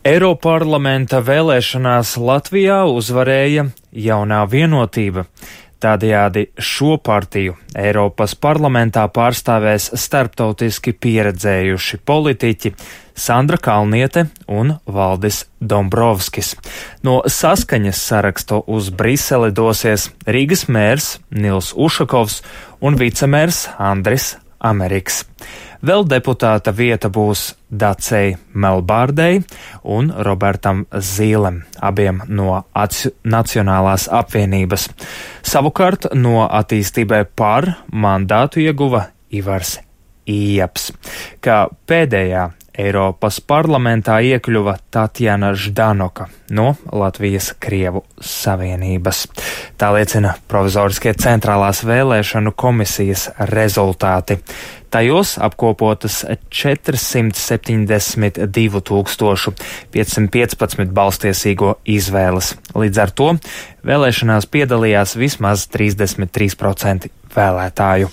Eiroparlamenta vēlēšanās Latvijā uzvarēja Jaunā vienotība. Tādējādi šo partiju Eiropas parlamentā pārstāvēs starptautiski pieredzējuši politiķi Sandra Kalniete un Valdis Dombrovskis. No Saskaņas saraksta uz Briseli dosies Rīgas mērs Nils Ušakovs un vicemērs Andris Ameriks. Vēl deputāta vieta būs Dacei Melbārdei un Robertam Zīlem, abiem no Nacionālās apvienības. Savukārt no Attīstībai par mandātu ieguva Ivars Ījaps. Kā pēdējā Eiropas parlamentā iekļuva Tatjana Ždanoka no Latvijas Krievu savienības. Tā liecina provizoriskie centrālās vēlēšanu komisijas rezultāti. Tajos apkopotas 472 515 balstiesīgo izvēles. Līdz ar to vēlēšanās piedalījās vismaz 33% vēlētāju.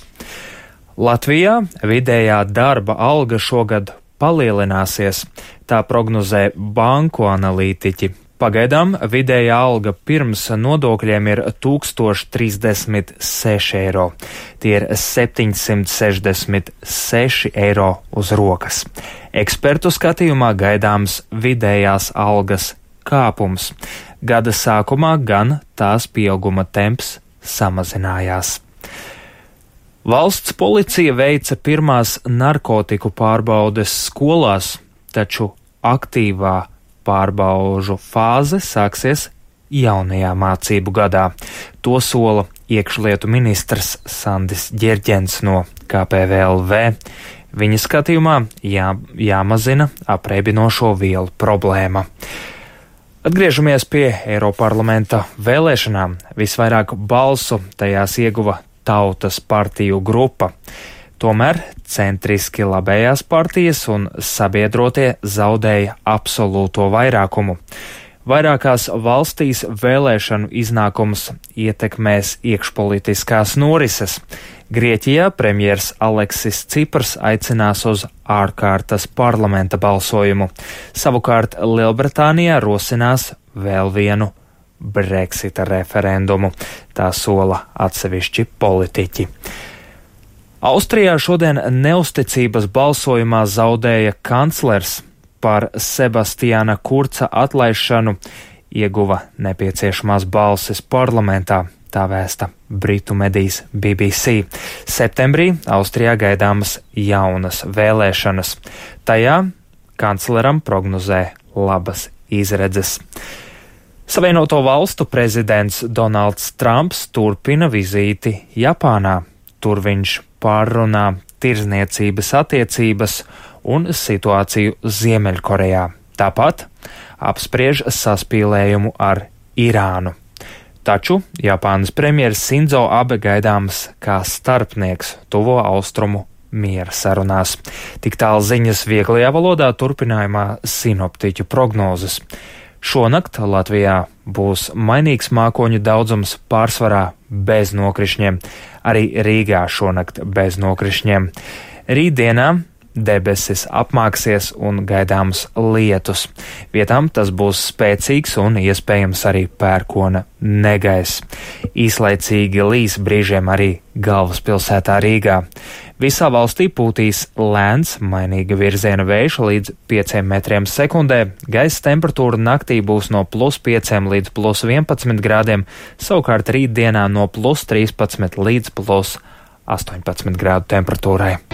Latvijā vidējā darba alga šogad palielināsies, tā prognozē banku analītiķi. Pagaidām vidējā alga pirms nodokļiem ir 1036 eiro. Tie ir 766 eiro uz rokas. Ekspertu skatījumā gaidāms vidējās algas kāpums. Gada sākumā gan tās pieauguma temps samazinājās. Valsts policija veica pirmās narkotiku pārbaudes skolās, taču aktīvā pārbaužu fāze sāksies jaunajā mācību gadā. To sola iekšlietu ministrs Sandis Ģerģens no KPVLV. Viņa skatījumā jāmazina apreibinošo vielu problēma. Atgriežamies pie Eiroparlamenta vēlēšanām. Visvairāk balsu tajās ieguva Tautas partiju grupa. Tomēr centriski labējās partijas un sabiedrotie zaudēja absolūto vairākumu. Vairākās valstīs vēlēšanu iznākums ietekmēs iekšpolitiskās norises. Grieķijā premjers Aleksis Ciprs aicinās uz ārkārtas parlamenta balsojumu. Savukārt Lielbritānijā rosinās vēl vienu Brexita referendumu. Tā sola atsevišķi politiķi. Austrijā šodien neusticības balsojumā zaudēja kanclers. Par Sebastiāna Kurca atlaišanu ieguva nepieciešamās balsis parlamentā, tā vēsta britu medijs BBC. Septembrī Austrijā gaidāmas jaunas vēlēšanas. Tajā kancleram prognozē labas izredzes. Savienoto valstu prezidents Donalds Trumps turpina vizīti Japānā. Tur viņš pārrunā tirzniecības attiecības un situāciju Ziemeļkorejā. Tāpat apspriež saspīlējumu ar Irānu. Taču Japānas premjeras Sindzo Abe gaidāms kā starpnieks tuvo austrumu miera sarunās. Tik tālu ziņas vieglajā valodā, turpinājumā sinoptiķu prognozes. Šonakt Latvijā būs mainīgs mākoņu daudzums, pārsvarā bez nokrišņiem. Arī Rīgā šonakt bez nokrišņiem. Rītdienā debesis apmāksies un gaidāms lietus. Vietām tas būs spēcīgs un iespējams arī pērkona negaiss. Īslaicīgi līs brīžiem arī galvaspilsētā Rīgā. Visā valstī pūtīs lēns, mainīga virziena vējš līdz 5 metriem sekundē. Gaisa temperatūra naktī būs no +5 līdz +11 grādiem, savukārt rītdienā no +13 līdz +18 grādu temperatūrai.